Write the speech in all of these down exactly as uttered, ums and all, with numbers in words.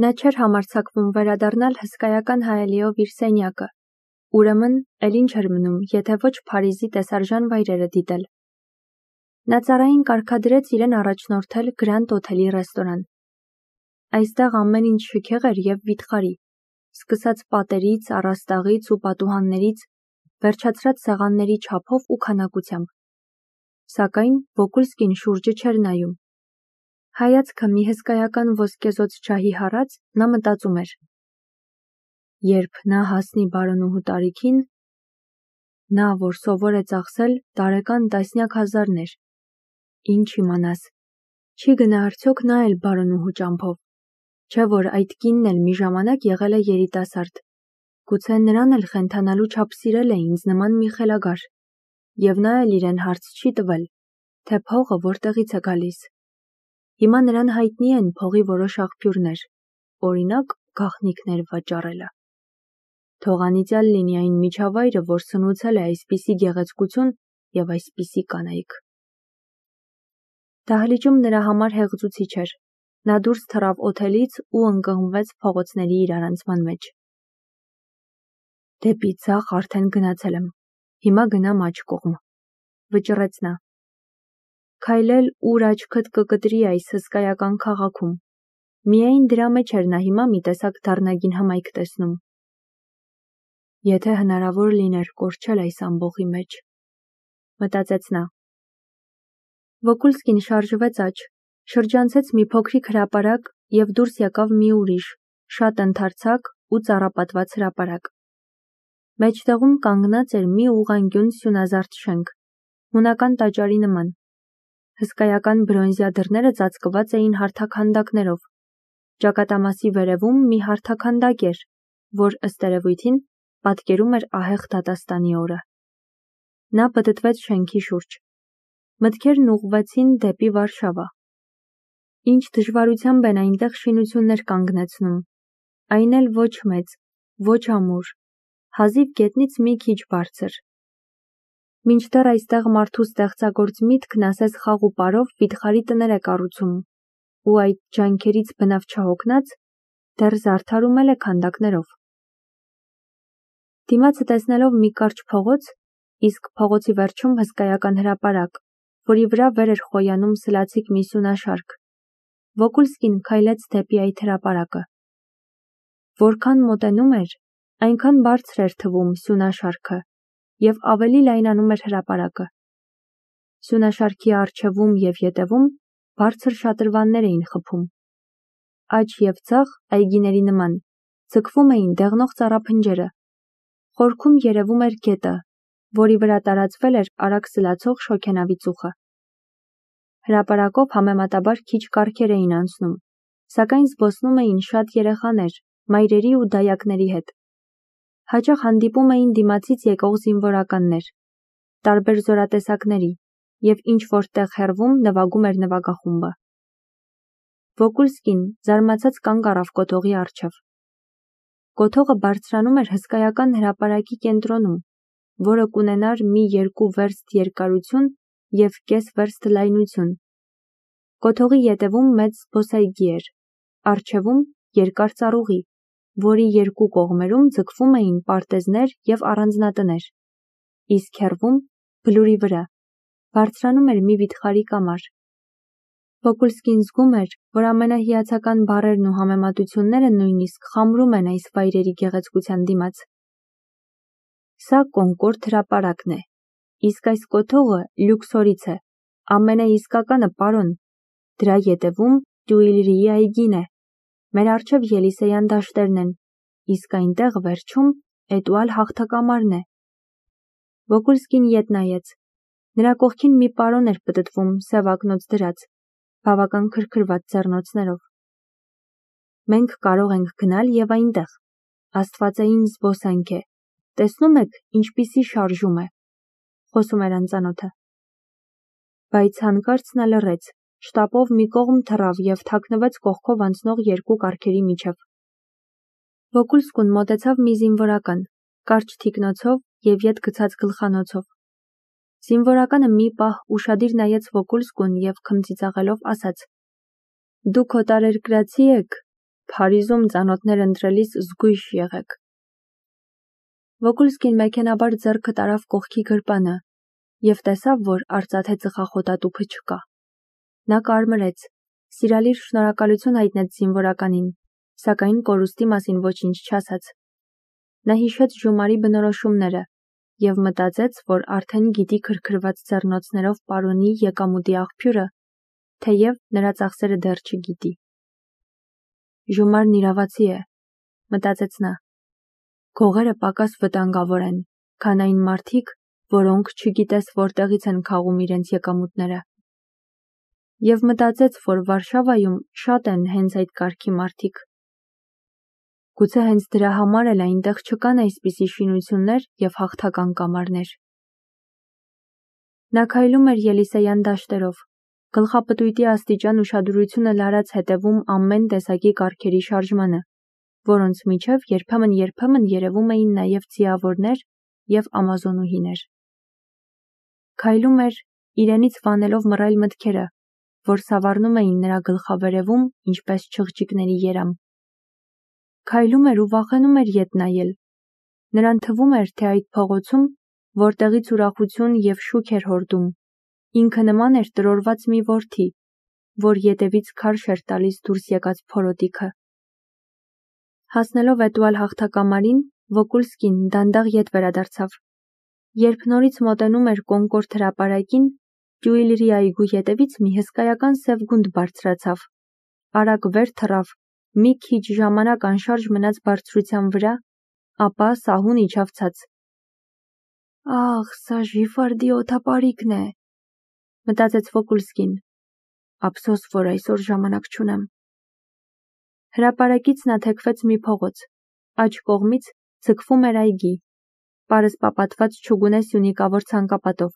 Նա չէր համարձակվում վերադառնալ հսկայական հայելիով իր սենյակը, ուրեմն էլ ինչ էր մնում, եթե ոչ Փարիզի տեսարժան վայրերը դիտել։ Նա ծառային կարգադրեց իրեն առաջնորդել Գրանդ Օթելի ռեստորան։ Այստեղ ամեն ինչ շքեղ էր և վիթխարի, սկսած պատերից, առաստաղից ու պատուհաններից, վերջացրած սեղանների չափով ու քանակությամբ։ Սակայն Վոկուլսկին շուրջը չէր նայում։ Հայացքը մի հսկայական ոսկեզօծ ջահի հառած, նա մտածում էր. երբ նա հասնի բարոնուհու տարիքին, նա, որ սովոր է ծախսել տարեկան տասնյակ հազարներ, ինչ իմանաս, չի գնա արդյոք նա էլ բարոնուհու ճամփով, չէ՞ որ այդ կինն էլ մի ժամանակ եղել է երիտասարդ, գուցե նրան էլ խենթանալու չափ սիրել է ինձ նման մի խելագար, և նա էլ իրեն հարց չի տվել, թե փողը որտեղից է գալիս։ Հիմա նրան հայտնի են փողի որոշ աղբյուրներ, օրինակ գաղտնիքներ վաճառելը։ Թող անիծյալ լինի այն միջավայրը, որ սնուցել է այսպիսի գեղեցկություն և այսպիսի կանայք։ Դահլիճում նրա համար հեղձուցիչ էր, նա դուրս թռավ օթելից ու ընկղմվեց փողոցների իրարանցման մեջ։ Դեպի ձախ արդեն գնացել եմ, հիմա գնամ աջ կողմ, վճռեց նա։ Քայլել ուր աչքդ կկտրի այս հսկայական քաղաքում, միայն դրա մեջ էր նա հիմա մի տեսակ դառնագին հմայք տեսնում։ Եթե հնարավոր լիներ կորչել այս ամբոխի մեջ, մտածեց նա։ Վոկուլսկին շարժվեց աջ, շրջանցեց մի փոքրիկ հրապարակ և դուրս եկավ մի ուրիշ, շատ ընդարձակ ու ծառապատված հրապարակ։ Մեջտեղում կանգնած էր մի ուղղանկյուն սյունազարդ շենք, հունական տաճարի նման։ Հսկայական բրոնզյա դռները ծածկված էին հարթաքանդակներով։ Ճակատամասի վերևում մի հարթաքանդակ էր, որ ըստ երևույթին պատկերում էր ահեղ դատաստանի օրը։ Նա պտտվեց շենքի շուրջ։ Մտքերն ուղղվեցին դեպի Վարշավա։ Ինչ դժվարությամբ են այնտեղ շինություններ կանգնեցնում, այն էլ ոչ մեծ, ոչ ամուր, հազիվ գետնից մի քիչ բարձր։ Մինչդեռ այստեղ մարդու ստեղծագործ միտքն ասես խաղ ու պարով վիթխարի տներ է կառուցում, ու այդ ջանքերից բնավ չհոգնած, դեռ զարդարում է քանդակներով։ Դիմացը տեսնելով մի կարճ փողոց, իսկ փողոցի վերջում հսկայական հրապարակ, որի վրա վեր էր խոյանում սլացիկ մի սյունաշարք, Վոկուլսկին քայլեց դեպի այդ հրապարակը։ Որքան մոտենում էր, այնքան բարձր էր թվում սյունաշարքը և ավելի լայնանում էր հրապարակը։ Սյունաշարքի առջևում և ետևում բարձր շատրվաններ էին խփում։ Աջ և ձախ այգիների նման ձգվում էին դեղնող ծառափնջերը։ Խորքում երևում էր գետը, որի վրա տարածվել էր արագ սլացող շոգենավի ծուխը։ Հրապարակով համեմատաբար քիչ կառքեր էին անցնում, սակայն զբոսնում էին շատ երեխաներ, մայրերի ու դայակների հետ։ Հաճախ հանդիպում էին դիմացից եկող զինվորականներ, տարբեր զորատեսակների, և ինչ-որ տեղ հեռվում նվագում էր նվագախումբը։ Վոկուլսկին զարմացած կանգ առավ կոթողի առջև։ Կոթողը բարձրանում էր հսկայական հրապարակի կենտրոնում, որը կունենար մի երկու վերստ երկարություն և կես վերստ լայնություն։ Կոթողի ետևում մեծ զբոսայգի էր, առջևում երկար ծառուղի, որի երկու կողմերում ձգվում էին պարտեզներ և առանձնատներ, իսկ հեռվում, բլուրի վրա, բարձրանում էր մի վիթխարի կամար։ Վոկուլսկին զգում էր, որ ամենահիացական բառերն ու համեմատությունները նույնիսկ խամրում են այս վայրերի գեղեցկության դիմաց։ Սա Կոնկորդ հրապարակն է, իսկ այս կոթողը Լյուքսորից է, ամենաիսկականը, պարոն, դրա ետևում Տյուիլրիի այգին է, մեր առջև Ելիսեյան դաշտերն են, իսկ այնտեղ վերջում Էտուալ հաղթակամարն է։ Վոկուլսկին ետ նայեց։ Նրա կողքին մի պարոն էր պտտվում սև ակնոց դրած, բավական քրքրված ձեռնոցներով։ Մենք կարող ենք գնալ և այնտեղ, աստվածային զբոսանք է, տեսնում եք ինչպիսի շարժում է, խոսում էր անծանոթը։ Բայց հանկարծ նա լռեց, շտապով մի կողմ թռավ և թաքնվեց կողքով անցնող երկու կառքերի միջև։ Վոկուլսկուն մոտեցավ մի զինվորական, կարճ թիկնոցով և ետ գցած գլխանոցով։ Զինվորականը մի պահ ուշադիր նայեց Վոկուլսկուն և քմծիծաղելով ասաց. «Դուք օտարերկրացի եք, Փարիզում ծանոթներ ընտրելիս զգույշ եղեք։ Վոկուլսկին մեքենաբար ձեռքը տարավ կողքի գրպանը և տեսավ, որ արծաթե ծխախոտատուփը չկա։ Նա կարմրեց, սիրալիր շնորհակալություն հայտնեց զինվորականին, սակայն կորուստի մասին ոչինչ չասաց։ Նա հիշեց Ժումարի բնորոշումները և մտածեց, որ արդեն գիտի քրքրված ձեռնոցներով պարոնի եկամուտի աղբյուրը, թեև նրա ծախսերը դեռ չգիտի։ Ժումարն իրավացի է, մտածեց նա։ Գողերը պակաս վտանգավոր են, քան այն մարդիկ, որոնք չգիտես որտեղից են քաղում իրենց եկամուտները։ Եվ մտածեց, որ Վարշավայում շատ են հենց այդ կարգի մարդիկ։ Գուցե հենց դրա համար էլ այնտեղ չկան այսպիսի շինություններ և հաղթական կամարներ։ Նա քայլում էր Ելիսեյան դաշտերով, գլխապտույտի աստիճան ուշադրությունը լարած հետևում ամեն տեսակի կառքերի շարժմանը, որոնց միջև երբեմն-երբեմն երևում էին նաև ձիավորներ և ամազոնուհիներ։ Քայլում էր, իրենից վանելով մռայլ մտքերը, որ սավառնում էին նրա գլխավերևում, ինչպես չղջիկների երամ։ Քայլում էր ու վախենում էր ետ նայել։ Նրան թվում էր, թե այդ փողոցում, որտեղից ուրախություն և շուք էր հորդում, ինքը նման էր տրորված մի որդի, որ ետևից քարշ էր տալիս դուրս եկած փորոտիքը։ Հասնելով էտուալ հաղթակամարին, Վոկուլսկին դանդաղ ետ վերադարձավ։ Երբ նորից մոտենում էր Կոնկորդ հրապարակին, Տյուիլրի այգու ետևից մի հսկայական սև գունդ բարձրացավ, արագ վեր թռավ, մի քիչ ժամանակ անշարժ մնաց բարձրության վրա, ապա սահուն իջավ ցած։ «Ախ, սա Ժիֆարդի օդապարիկն է», մտածեց Վոկուլսկին։ Ափսոս, որ այսօր ժամանակ չունեմ։ Հրապարակից նա թեքվեց մի փողոց, աջ կողմից ձգվում էր այգի, պարսպապատված չուգունե սյունիկավոր ցանկապատով։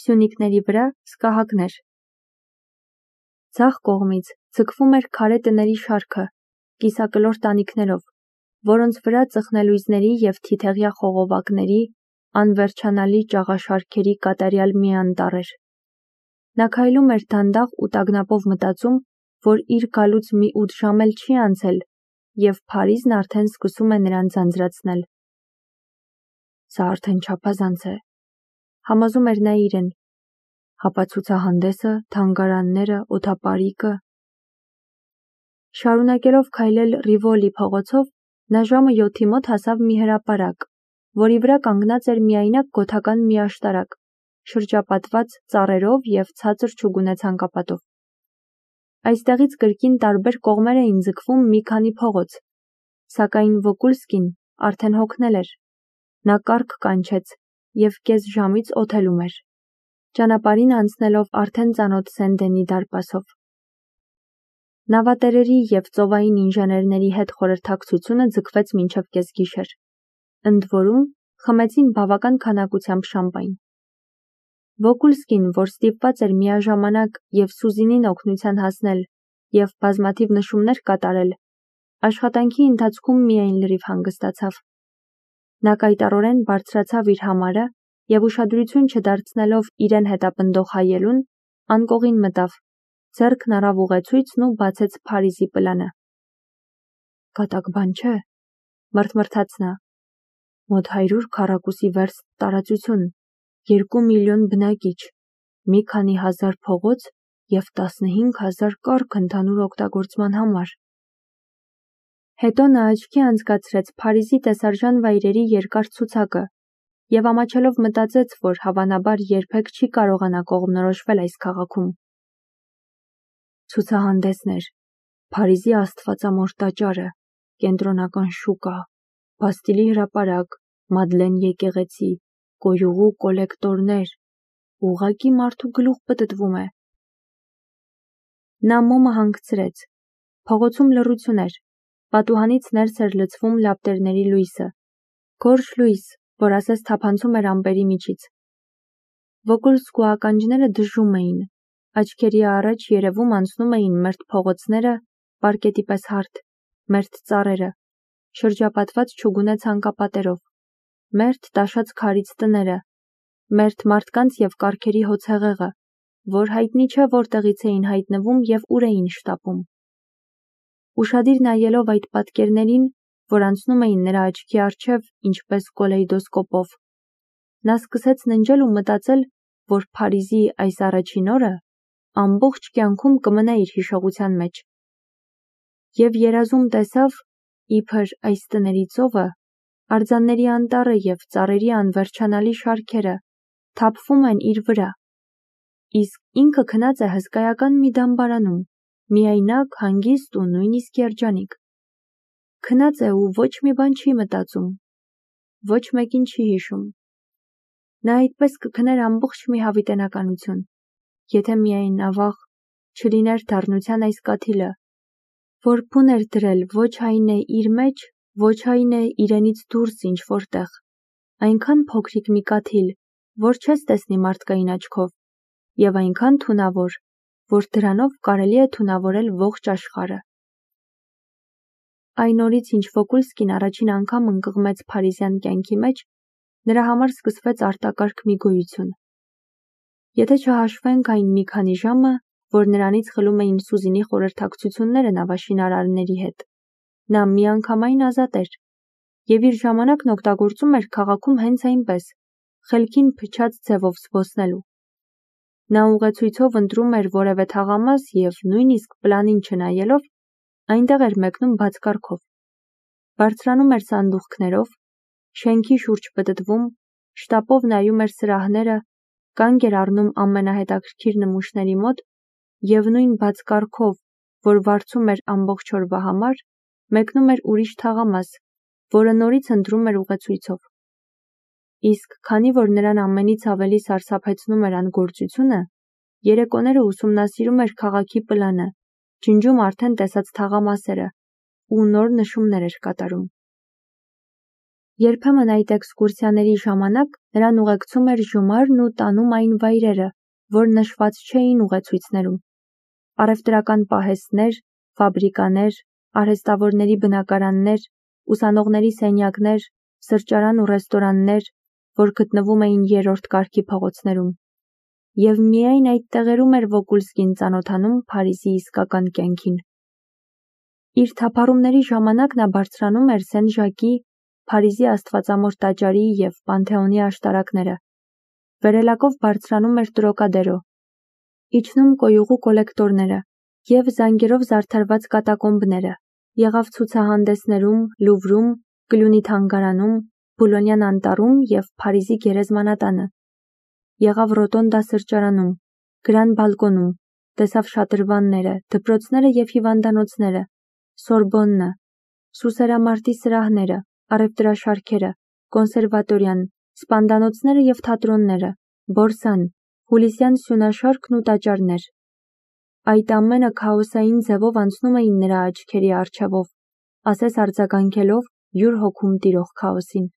Սյունիկների վրա սկահակներ։ Ձախ կողմից ձգվում էր քարե տների շարքը, կիսակլոր տանիքներով, որոնց վրա ծխնելույզների և թիթեղյա խողովակների, անվերջանալի ճաղաշարքերի կատարյալ մի անտառ էր։ Նա քայլում էր դանդաղ ու տագնապով մտածում, որ իր գալուց մի ութ ժամ էլ չի անցել, և Փարիզն արդեն սկսում է նրան ձանձրացնել։ Սա արդեն չափազանց է, համոզում էր նա իրեն։ Հապա ցուցահանդեսը, թանգարանները, օդապարիկը։ Շարունակելով քայլել Ռիվոլի փողոցով, նա ժամը յոթի մոտ հասավ մի հրապարակ, որի վրա կանգնած էր միայնակ գոթական մի աշտարակ, շրջապատված ծառերով և ցածր չուգունե ցանկապատով։ Այստեղից կրկին տարբեր կողմեր էին ձգվում մի քանի փողոց, սակայն Վոկուլսկին արդեն հոգնել էր։ Նա կառք կանչեց և կես ժամից օթելում էր, ճանապարհին անցնելով արդեն ծանոթ Սեն-Դենի դարպասով։ Նավատերերի և ծովային ինժեներների հետ խորհրդակցությունը ձգվեց մինչև կեսգիշեր։ Ընդ որում, խմեցին բավական քանակությամբ շամպայն։ Վոկուլսկին, որ ստիպված էր միաժամանակ և Սուզինին օգնության հասնել և բազմաթիվ նշումներ կատարել, աշխատանքի ընթացքում միայն լրիվ հանգստացավ։ Նա կայտառորեն բարձրացավ իր համարը և ուշադրություն չդարձնելով իրեն հետապնդող հայելուն, անկողին մտավ, ձեռքն առավ ուղեցույցն ու բացեց Փարիզի պլանը։ Կատակ բան չէ, մռթմռթաց նա։ Մոտ հարյուր քառակուսի վերստ տարածություն, երկու միլիոն բնակիչ, մի քանի հազար փողոց և տասնհինգ հազար կառք ընդհանուր օգտագործման համար։ Հետո նա աչքի անցկացրեց Փարիզի տեսարժան վայրերի երկար ցուցակը և ամաչելով մտածեց, որ հավանաբար երբեք չի կարողանա կողմնորոշվել այս քաղաքում։ Ցուցահանդեսներ, Փարիզի աստվածամոր տաճարը, կենտրոնական շուկա, Բաստիլի հրապարակ, Մադլեն եկեղեցի, գոյուղու կոլեկտորներ, ուղղակի մարդու գլուխ պտտվում է։ Նա մոմը հանգցրեց։ Փողոցում լռություն էր, պատուհանից ներս էր լցվում լապտերների լույսը, գորշ լույս, որ ասես թափանցում էր ամպերի միջից։ Վոկուլսկու ականջները դժում էին, աչքերի առաջ երևում անցնում էին մերթ փողոցները, պարկետի պես հարթ, մերթ ծառերը, շրջապատված չուգունե ցանկապատերով, մերթ տաշած քարից տները, մերթ մարդկանց և կառքերի հոծհեղեղը, որ հայտնի չէ որտեղից էին հայտնվում և ուր էին շտապում։ ուշադիր նայելով այդ պատկերներին, որ անցնում էին նրա աչքի առջև ինչպես կոլեյդոսկոպով։ Նա սկսեց ննջել ու մտածել, որ Փարիզի այս առաջին օրը ամբողջ կյանքում կմնա իր հիշողության մեջ։ Եվ երազում տեսավ, իբր այս տների ծովը, արձանների անտառը և ծառերի անվերջանալի շարքերը թափվում են իր վրա, իսկ ինքը քնած է հսկայական մի դամբարանում, միայնակ, հանգիստ ու նույնիսկ երջանիկ։ Քնած է ու ոչ մի բան չի մտածում, ոչ մեկին չի հիշում։ Նա այդպես կքներ ամբողջ մի հավիտենականություն, եթե միայն ավաղ չլիներ դառնության այս կաթիլը, որ բուն էր դրել ոչ այն է իր մեջ, ոչ այն է իրենից դուրս ինչ-որտեղ, այնքան փոքրիկ մի կաթիլ, որ չես տեսնի մարդկային աչքով, և այնքան թունավոր, որ դրանով կարելի է թունավորել ողջ աշխարհը։ Այն օրից, ինչ Վոգոլսկին առաջին անգամ ընկղմեց փարիզյան կյանքի մեջ, նրա համար սկսվեց արտակարգ մի գոյություն։ Եթե չհաշվենք այն մի քանի ժամը, որ նրանից խլում էին Սուզինի խորհրդակցությունները նավաշինարարների հետ, նա միանգամայն ազատ էր, և իր ժամանակն օգտագործում էր քաղաքում հենց այնպես, խելքին փչած ձևով զբոսնելու։ Նա ուղեցույցով ընտրում էր որևէ թաղամաս և նույնիսկ պլանին չնայելով, այնտեղ էր մեկնում բացկարգով։ Բարձրանում էր սանդուղքներով, շենքի շուրջ պտտվում, շտապով նայում էր սրահները, կանգ էր առնում ամենահետաքրքիր նմուշների մոտ և նույն բացկարգով, որ վարձում էր ամբողջ օրվա համար, մեկնում էր ուրիշ թաղամաս, որը նորից ընտրում էր ուղեցույցով։ Իսկ քանի որ նրան ամենից ավելի սարսափեցնում էր անգործությունը, երեկոները ուսումնասիրում էր քաղաքի պլանը, ջնջում արդեն տեսած թաղամասերը ու նոր նշումներ էր կատարում։ Երբեմն այդ էքսկուրսիաների ժամանակ նրան ուղեկցում էր Ժոմարն ու տանում այն վայրերը, որ նշված չէին ուղեցույցներում։ Առևտրական պահեստներ, ֆաբրիկաներ, արհեստավորների բնակարաններ, ուսանողների սենյակներ, սրճարան ու ռեստորաններ, որ գտնվում էին երրորդ կարգի փողոցներում։ Եվ միայն այդ տեղերում էր Վոգոլսկին ծանոթանում Փարիզի իսկական կյանքին։ Իր թափառումների ժամանակ նա բարձրանում էր Սեն-Ժակի, Փարիզի Աստվածամոր տաճարի և Պանթեոնի աշտարակները, վերելակով բարձրանում էր Տրոկադերո, իջնում կոյուղու կոլեկտորները և զանգերով զարդարված կատակոմբները, եղավ ցուցահանդեսներում, Լուվրում, Կլյունի թանգարանում, Բուլոնյան անտառում և Փարիզի գերեզմանատանը, եղավ Ռոտոնդա սրճարանում, Գրան բալկոնում, տեսավ շատրվանները, դպրոցները և հիվանդանոցները, Սորբոննը, Սուսերամարտի սրահները, առևտրաշարքերը, կոնսերվատորիան, սպանդանոցները և թատրոնները, Բորսան, Հուլիսյան սյունաշարքն ու տաճարներ։ Այդ ամենը քաոսային ձևով անցնում էին նրա աչքերի առջևով, ասես արձագանքելով յուր հոգում տիրող քաոսին։